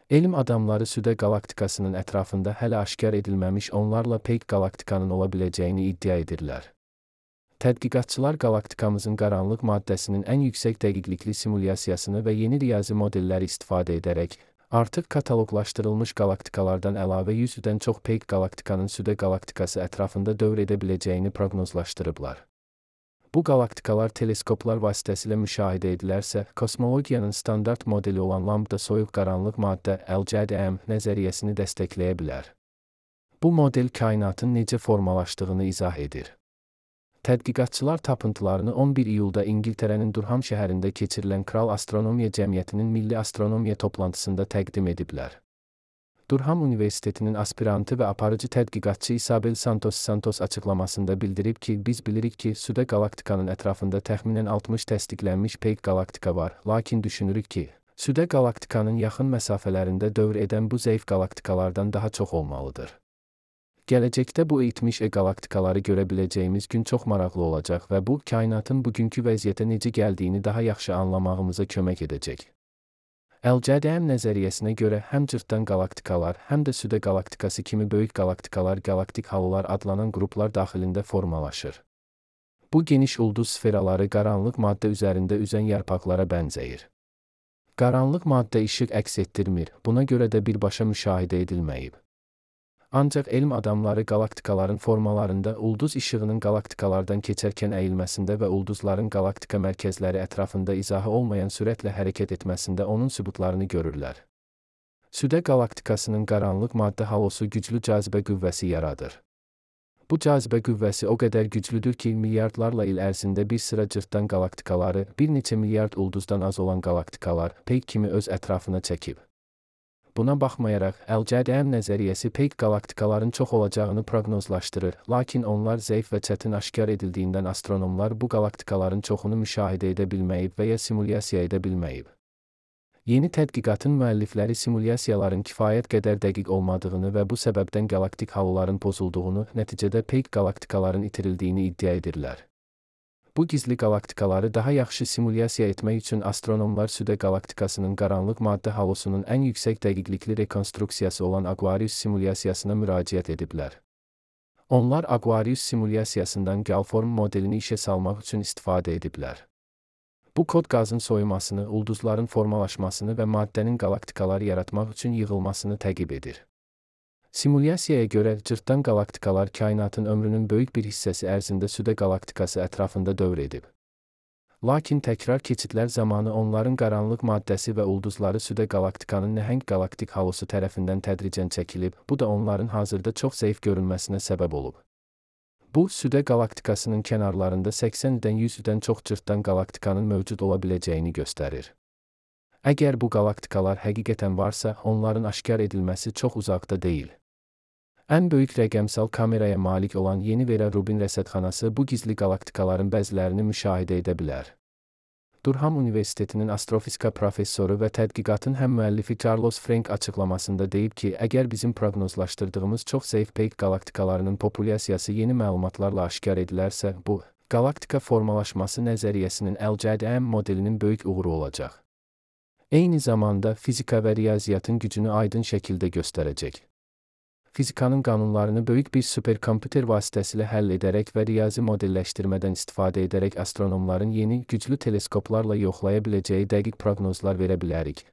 Elm adamları Südə qalaktikasının ətrafında hələ aşkar edilməmiş onlarla peyk qalaktikanın ola biləcəyini iddia edirlər. Tədqiqatçılar qalaktikamızın qaranlıq maddəsinin ən yüksək dəqiqlikli simulyasiyasını və yeni riyazi modelləri istifadə edərək, artıq kataloqlaşdırılmış qalaktikalardan əlavə 100-dən çox peyk qalaktikanın Südə qalaktikası ətrafında dövr edə biləcəyini proqnozlaşdırıblar. Bu qalaktikalar teleskoplar vasitəsilə müşahidə edilərsə, kosmologiyanın standart modeli olan lambda soyuq qaranlıq maddə LCDM nəzəriyyəsini dəstəkləyə bilər. Bu model kainatın necə formalaşdığını izah edir. Tədqiqatçılar tapıntılarını 11 iyulda İngiltərənin Durham şəhərində keçirilən Kral Astronomiya Cəmiyyətinin Milli Astronomiya toplantısında təqdim ediblər. Durham Universitetinin aspirantı və aparıcı tədqiqatçı Isabel Santos açıqlamasında bildirib ki, biz bilirik ki, Südə qalaktikanın ətrafında təxminən 60 təsdiqlənmiş peyk qalaktika var, lakin düşünürük ki, Südə qalaktikanın yaxın məsafələrində dövr edən bu zəif qalaktikalardan daha çox olmalıdır. Gələcəkdə bu itmiş qalaktikaları görə biləcəyimiz gün çox maraqlı olacaq və bu, kainatın bugünkü vəziyyətə necə gəldiyini daha yaxşı anlamağımıza kömək edəcək. LCDM nəzəriyyəsinə görə həm cırtdan qalaktikalar, həm də Südə qalaktikası kimi böyük qalaktikalar galaktik halılar adlanan qruplar daxilində formalaşır. Bu geniş ulduz sferaları qaranlıq maddə üzərində üzən yarpaqlara bənzəyir. Qaranlıq maddə işıq əks etdirmir, buna görə də birbaşa müşahidə edilməyib. Ancaq elm adamları qalaktikaların formalarında ulduz işığının qalaktikalardan keçərkən əyilməsində və ulduzların qalaktika mərkəzləri ətrafında izahı olmayan sürətlə hərəkət etməsində onun sübutlarını görürlər. Südə qalaktikasının qaranlıq maddə halosu güclü cazibə qüvvəsi yaradır. Bu cazibə qüvvəsi o qədər güclüdür ki, milyardlarla il ərzində bir sıra cırtdan qalaktikaları, bir neçə milyard ulduzdan az olan qalaktikalar peyk kimi öz ətrafına çəkib. Buna baxmayaraq, LCDM nəzəriyyəsi peyk qalaktikaların çox olacağını proqnozlaşdırır, lakin onlar zəif və çətin aşkar edildiyindən astronomlar bu qalaktikaların çoxunu müşahidə edə bilməyib və ya simulyasiya edə bilməyib. Yeni tədqiqatın müəllifləri simulyasiyaların kifayət qədər dəqiq olmadığını və bu səbəbdən galaktik halıların pozulduğunu, nəticədə peyk qalaktikaların itirildiyini iddia edirlər. Bu gizli qalaktikaları daha yaxşı simulyasiya etmək üçün astronomlar Südə qalaktikasının qaranlıq maddə halosunun ən yüksək dəqiqlikli rekonstruksiyası olan Aquarius simulyasiyasına müraciət ediblər. Onlar Aquarius simulyasiyasından Galform modelini işə salmaq üçün istifadə ediblər. Bu kod qazın soyumasını, ulduzların formalaşmasını və maddənin qalaktikalar yaratmaq üçün yığılmasını təqib edir. Simulyasiyaya görə cırtdan qalaktikalar kainatın ömrünün böyük bir hissəsi ərzində Südə qalaktikası ətrafında dövr edib. Lakin təkrar keçidlər zamanı onların qaranlıq maddəsi və ulduzları Südə qalaktikanın nəhəng galaktik halosu tərəfindən tədricən çəkilib, bu da onların hazırda çox zəif görünməsinə səbəb olub. Bu, Südə qalaktikasının kənarlarında 80-dən 100-dən çox cırtdan qalaktikanın mövcud ola biləcəyini göstərir. Əgər bu qalaktikalar həqiqətən varsa, onların aşkar edilməsi çox uzaqda deyil. Ən böyük rəqəmsal kameraya malik olan Yeni Vera Rubin rəsədxanası bu gizli qalaktikaların bəzilərini müşahidə edə bilər. Durham Universitetinin astrofizika professoru və tədqiqatın həm müəllifi Carlos Frank açıqlamasında deyib ki, əgər bizim proqnozlaşdırdığımız çox zəif peyk qalaktikalarının populyasiyası yeni məlumatlarla aşkar edilərsə, bu, qalaktika formalaşması nəzəriyyəsinin LCDM modelinin böyük uğuru olacaq. Eyni zamanda fizika və riyaziyyatın gücünü aydın şəkildə göstərəcək. Fizikanın qanunlarını böyük bir superkomputer vasitəsilə həll edərək və riyazi modelləşdirmədən istifadə edərək astronomların yeni, güclü teleskoplarla yoxlaya biləcəyi dəqiq proqnozlar verə bilərik.